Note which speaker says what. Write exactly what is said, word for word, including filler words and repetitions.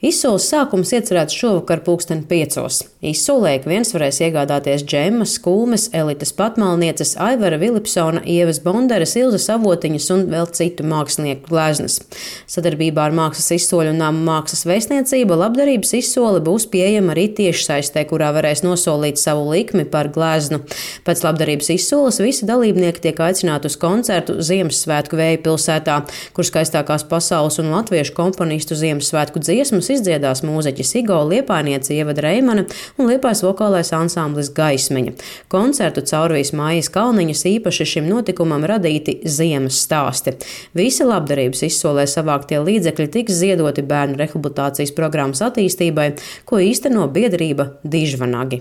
Speaker 1: Izsoles sākums iecerēts šovakar pulksten piecos. Izsolē ik viens varēs iegādāties džemmas, kulmes, Elites Patmalnieces, Aivara Vilipsona, Ievas Bonderes, Ilzas Avotiņas un vēl citu mākslinieku gleznas. Sadarbībā ar Mākslas izsoļu un Nama mākslas vēstniecību labdarības izsole būs pieejama arī tiešsaistē, kurā varēs nosolīt savu likmi par gleznu. Pēc labdarības izsoles visi dalībnieki tiek aicināti uz koncertu Ziemassvētku Vēju pilsētā, kur skaistākās pasaules un latviešu komponistu Ziemassvētku dziesmas izdziedās mūziķis Igo, liepājniece Ievada Reimane un liepājas vokālais ansamblis Gaismiņa. Koncertu caurvīs Mājas Kalniņas īpaši šim notikumam radīti ziemas stāsti. Visi labdarības izsolē savāktie līdzekļi tiks ziedoti bērnu rehabilitācijas programmas attīstībai, ko īsteno biedrība Dižvanagi.